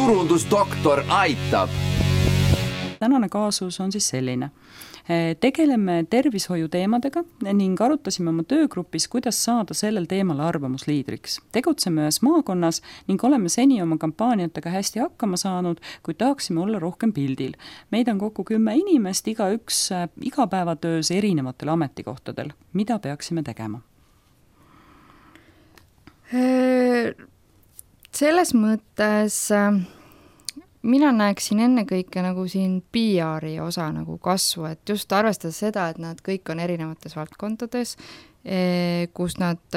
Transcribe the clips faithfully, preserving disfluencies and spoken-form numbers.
turundusdoktor aitab. Tänane kaasus on siis selline. Tegeleme tervishoiu teemadega ning arutasime oma töögrupis, kuidas saada sellel teemal arvamusliidriks. Tegutseme ühes maakonnas ning oleme seni oma kampaaniatega hästi hakkama saanud, kuid tahaksime olla rohkem pildil. Meid on kokku kümme inimest, iga üks igapäevatöös erinevatel ametikohtadel. Mida peaksime tegema? Selles mõttes mina näeksin ennekõike nagu siin P R-i osa nagu kasvu, et just arvestades seda, et nad kõik on erinevates valdkondades, kus nad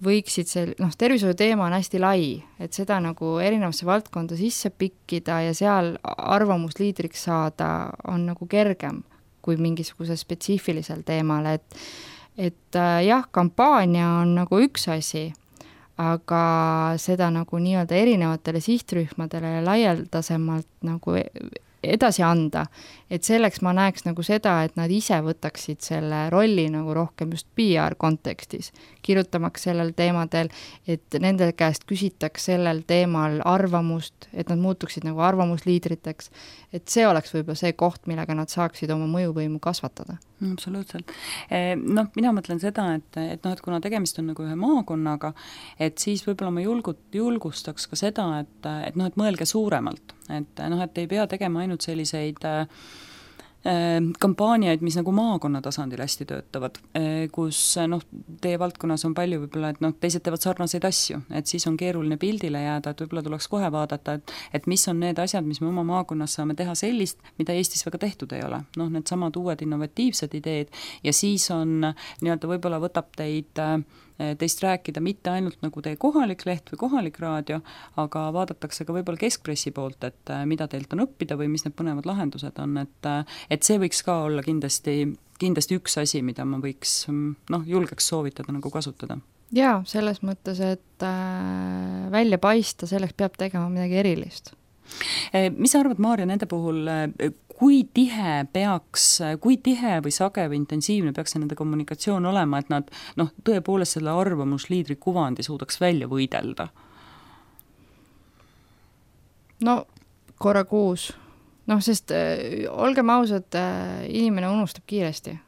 võiksid sel-, noh, tervishoiu teema on hästi lai, et seda nagu erinevasse valdkonda sisse pikkida ja seal arvamusliidriks saada on nagu kergem kui mingisuguse spetsiifilisel teemal, et, et jah, kampaania on nagu üks asi, aga seda nagu nii-öelda erinevatele sihtrühmadele ja laialdasemalt nagu edasi anda, et selleks ma näeks nagu seda, et nad ise võtaksid selle rolli nagu rohkem just P R kontekstis, kirjutamaks sellel teemadel, et nende käest küsitaks sellel teemal arvamust, et nad muutuksid nagu arvamusliidriteks, et see oleks võib-olla see koht, millega nad saaksid oma mõjuvõimu kasvatada. Absoluutselt. Noh, mina mõtlen seda, et, et, noh, et kuna tegemist on nagu ühe maakonnaga, et siis võib-olla ma julgut, julgustaks ka seda, et, et, noh, et mõelge suuremalt, et, noh, et ei pea tegema ainult selliseid äh, kampaaniaid, mis nagu maakonna tasandil hästi töötavad, kus noh, teie valdkonnas on palju võib-olla, et noh, teised teevad sarnaseid asju, et siis on keeruline pildile jääda, et võib-olla tuleks kohe vaadata, et, et mis on need asjad, mis me oma maakonnas saame teha sellist, mida Eestis väga tehtud ei ole. Noh, need samad uued innovatiivsed ideed ja siis on nii-öelda võib-olla võtab teid teist rääkida mitte ainult nagu teie kohalik leht või kohalik raadio, aga vaadatakse ka võib-olla keskpressi poolt, et mida teilt on õppida või mis need põnevad lahendused on, et, et see võiks ka olla kindlasti, kindlasti üks asi, mida ma võiks, noh, julgeks soovitada nagu kasutada. Jaa, selles mõttes, et äh, välja paista, selleks peab tegema midagi erilist. Mis sa arvad, Maarja, nende puhul, kui tihe peaks, kui tihe või sage või intensiivne peaks nende kommunikatsioon olema, et nad noh, tõepoolest selle arvamusliidri kuvandi suudaks välja võidelda? No korra kuus. Noh, sest äh, olgem ausad, äh, inimene unustab kiiresti.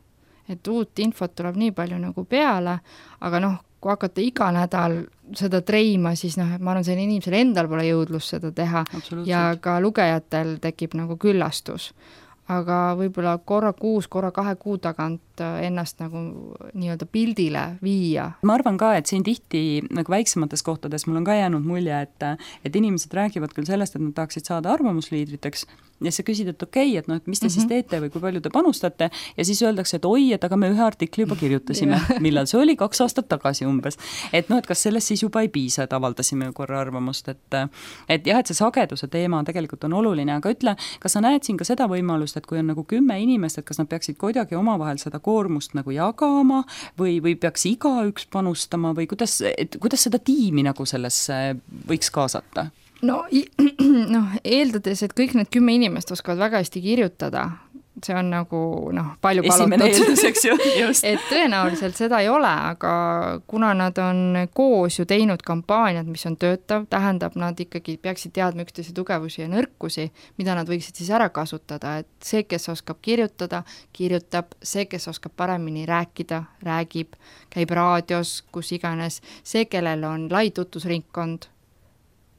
Et uut infot tuleb nii palju nagu peale, aga noh, kui hakata iga nädal seda treima, siis noh, ma arvan, see inimesel endal pole jõudlus seda teha ja ka lugejatel tekib nagu küllastus. Aga võib-olla korra kuus, korra kahe kuu tagant ennast nagu nii-öelda pildile viia. Ma arvan ka, et siin tihti nagu väiksemates kohtades mul on ka jäänud mulje, et, et inimesed räägivad küll sellest, et nad tahaksid saada arvamusliidriteks ja sa küsid, et okei, okay, et noh, et mis te mm-hmm. siis teete või kui palju te panustate ja siis öeldakse, et oi, et aga me ühe artikli juba kirjutasime, millal see oli kaks aastat tagasi umbes. Et noh, et kas sellest siis juba ei piisa, et avaldasime korra arvamust, et, et jah, et see sageduse teema tegelikult on oluline, aga ütle, kas sa näed siin ka seda võimalust, et kui on nagu kümme inimest, et kas nad peaksid kuidagi omavahel seda koormust nagu jagama või, või peaks igaüks panustama või kuidas, et, kuidas seda tiimi nagu sellesse võiks kaasata? No, noh, eeldades, et kõik need kümme inimest oskavad väga hästi kirjutada, see on nagu noh, palju palutud. Esimene eelduseks ju, just. Et tõenäoliselt seda ei ole, aga kuna nad on koos ju teinud kampaaniad, mis on töötav, tähendab, nad ikkagi peaksid teadma üksteise tugevusi ja nõrkusi, mida nad võiksid siis ära kasutada, et see, kes oskab kirjutada, kirjutab, see, kes oskab paremini rääkida, räägib, käib raadios, kus iganes, see, kellel on lai tutvusringkond,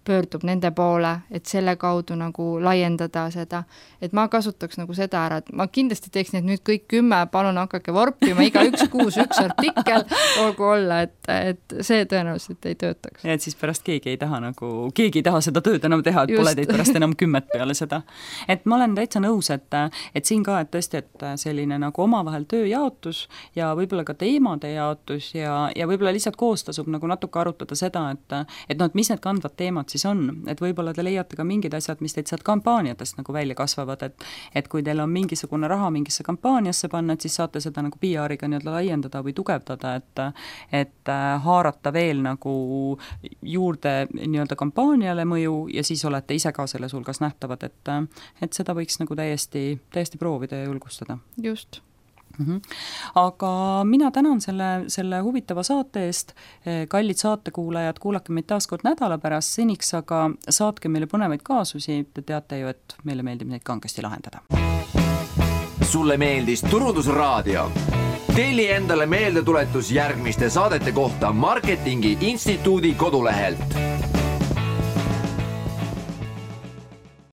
pöördub nende poole, et selle kaudu nagu laiendada seda, et ma kasutaks nagu seda ära, et ma kindlasti teeks need nüüd kõik kümme, palun hakake vorpima, iga üks kuus üks artikkel, olgu olla, et, et see tõenäoliselt ei töötaks. Ja et siis pärast keegi ei taha nagu, keegi ei taha seda tööd enam teha, et Just. Pole teid pärast enam kümmet peale seda. Et ma olen täitsa nõus, et, et siin ka, et tõesti, et selline nagu omavahel tööjaotus ja võib-olla ka teemade jaotus ja, ja võib-olla lihtsalt koos tasub nagu natuke arutada seda, et, et noh, et mis need kandvad teemad siis on, et võib-olla te leiate ka mingid asjad, mis teid sealt kampaaniatest nagu välja kasvavad, et, et kui teil on mingisugune raha mingisse kampaaniasse panna, et siis saate seda nagu P R-iga nii-öelda laiendada või tugevdada, et, et haarata veel nagu juurde nii-öelda kampaaniale mõju ja siis olete ise ka selles hulgas nähtavad, et, et seda võiks nagu täiesti, täiesti proovida ja julgustada. Just. Mm -hmm. Aga mina tänan selle, selle huvitava saate eest, kallid saatekuulajad, kuulake meid taas kord nädala pärast, seniks aga saatke meile põnevaid kaasusi, te teate ju, et meile meeldib neid kangesti lahendada. Sulle meeldis Turundusraadio? Telli endale meeldetuletus järgmiste saadete kohta Marketingi Instituudi kodulehelt.